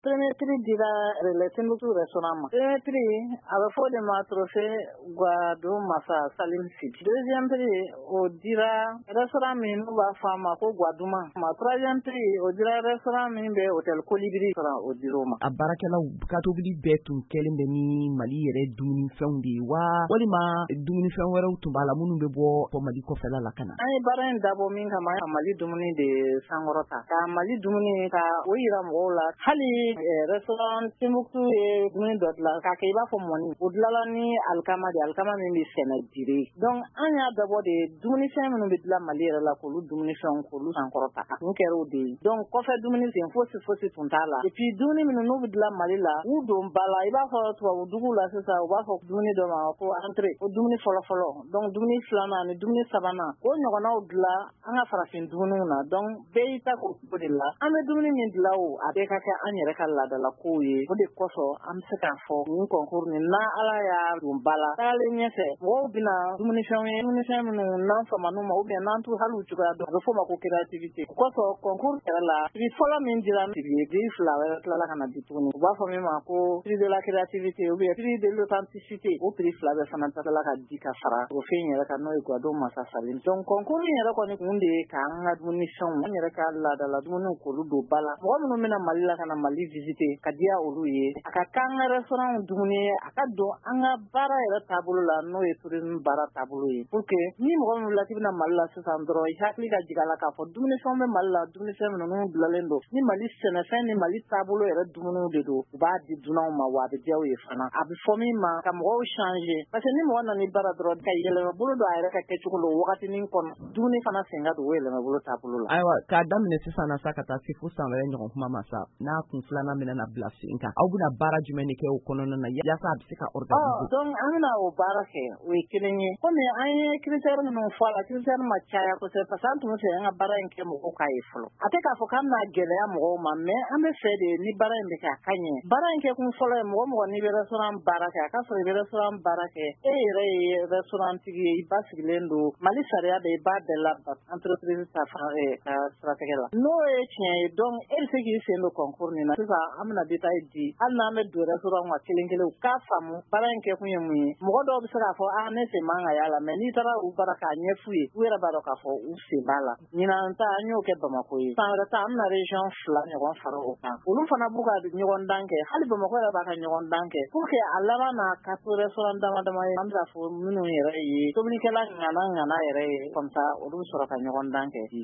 Premier prix dira Relais Timbuktu restaurant ma. Premier prix, a bɛ fɔ o de ma trophée Guado Masa Salim Sy. Deuxième prix, o dira restaurant min n'u b'a fɔ a ma ko Guaduma ma. Troisième prix, o dira restaurant min bɛ hôtel Colibri, o dir'o ma. A baarakɛlaw ka tobili bɛɛ tun kɛlen bɛ ni Mali yɛrɛ dumunifɛnw de ye wa, walima dumunifɛn wɛrɛw tun b'a la minnu bɛ bɔ Mali kɔfɛla la ka na? An ye baara in dabɔ min kama, ka Mali dumuni de sankɔrɔta, ka Mali dumuni ka o yira mɔgɔw la. Hali restaurant Timbuktu ye dumuni dɔ dilan k'a kɛ i b'a fɔ mɔni, o dilanla ni alikama de, alikama min bɛ sɛnɛ Dire. Donc an y'a dabɔ de dumunifɛn minnu bɛ dilan Mali yɛrɛ la, k'olu dumunifɛnw k'olu sankɔrɔta. A kun kɛra o de ye. Donc kɔfɛ dumuni sen fosi fosi tun t'a la. Et puis dumuni minnu n'u bɛ dilan Mali la, u don ba la, i b'a fɔ tubabu dugu la sisan, u b'a fɔ dumuni dɔ ma ko entrée, ko dumuni fɔlɔ fɔlɔ. Donc dumuni filanan ni dumuni sabanan, o ɲɔgɔnnaw dilan an ka farafin dumuniw na. Donc bɛɛ y'i ta k'o cogo de la. An bɛ dumuni min dilan, o a bɛɛ ka kɛ an yɛrɛ ka laadala kow ye. O de kosɔn an bɛ se k'a fɔ nin concours nin, n'a Ala y'a don ba la, tagalen ɲɛfɛ, mɔgɔw bɛna dumunifɛnw ye, dumunifɛn minnu n'an faman'u ma, ou bien n'an t'u hali u cogoya dɔn, a bɛ f'o ma ko créativité. O kosɔn concours yɛrɛ la, prix fɔlɔ min dira, prix fila wɛrɛ tilala ka na di tuguni, u b'a fɔ min ma ko prix de la créativité ou bien prix de l'authenticité. O prix fila bɛɛ fana tilala ka di ka fara trophée in yɛrɛ kan, n'o ye Guado Masa Salim. Donc concours in yɛrɛ kɔni kun de ye k'an ka dumunifɛnw, an yɛrɛ ka laadala dumuniw, k'olu don ba la. Mɔgɔ minnu bɛna Mali la ka na Mali visiter, ka diya olu ye, a ka k'an ka restaurant dumuni ye, a ka don an ka baara yɛrɛ taabolo la, n'o ye tourisme baara taabolo ye, pour que ni mɔgɔ min wulila k'i bɛna Mali la sisan dɔrɔn, i hakili ka jigin a la k'a fɔ dumunifɛnw bɛ Mali la, dumunifɛn minnu dilanlen don ni Mali sɛnɛfɛn ni Mali taabolo yɛrɛ dumuniw de don. U b'a di dunanw ma, wa a bɛ diya u ye fana. A bɛ fɔ min ma ka mɔgɔw changer, parce que ni mɔgɔ nana i bara dɔrɔn ka yɛlɛma bolo don a yɛrɛ ka kɛcogo la, o wagatinin kɔnɔ, dumuni fana sen ka don o yɛlɛma bolo taabolo la. Ayiwa, k'a daminɛ sisan na sa, ka taa se fo san wɛrɛ ɲɔgɔn kuma ma sa, n'a kun filanan bɛna na bila sen kan, aw bɛna baara jumɛn de kɛ o kɔnɔna na yaasa a bɛ se ka organiser? Donc an bɛna o baara kɛ, o ye kelen ye. Komi an ye critère minnu fɔ a la, critère ma caya kosɛbɛ, parce que an tun bɛ fɛ an ka baara in kɛ mɔgɔw k'a ye fɔlɔ. A tɛ k'a fɔ k'an bɛna gɛlɛya mɔgɔw ma, mais an bɛ fɛ de ni baara in bɛ kɛ, a ka ɲɛ. Baara in kɛ kun fɔlɔ ye, mɔgɔ mɔgɔ n'i bɛ restaurant baara kɛ, a ka sɔrɔ i bɛ restaurant baara kɛ, e yɛrɛ ye restaurant tigi ye, i ba sigilen don Mali sariya bɛ, i b'a bɛɛ labato entreprise ta fan ka siratigɛ la, n'o ye tiɲɛ ye. Donc e bɛ se k'i sen don concours nin na. Sisan an bɛna détail di, hali n'an bɛ don restaurant kan kelen kelen, u k'a faamu baara in kɛ kun ye mun ye. Mɔgɔ dɔw bɛ se k'a fɔ a ne sen man ka y'a la, mais n'i taara u bara k'a ɲɛf'u ye, u yɛrɛ b'a dɔn k'a fɔ u sen b'a la. Ɲinan ta, an y'o kɛ Bamakɔ ye. San wɛrɛ ta, an bɛna région fila ɲɔgɔn fara o kan, olu fana b'u ka ɲɔgɔn dan kɛ, hali Bamakɔ yɛrɛ b'a ka ɲɔgɔn dan kɛ, pour que a laban na ka to restaurant dama dama ye, an bɛ fɔ minnu yɛrɛ ye tobilikɛla ŋana ŋana yɛrɛ ye, comme ça olu bɛ sɔrɔ ka ɲɔgɔn dan kɛ.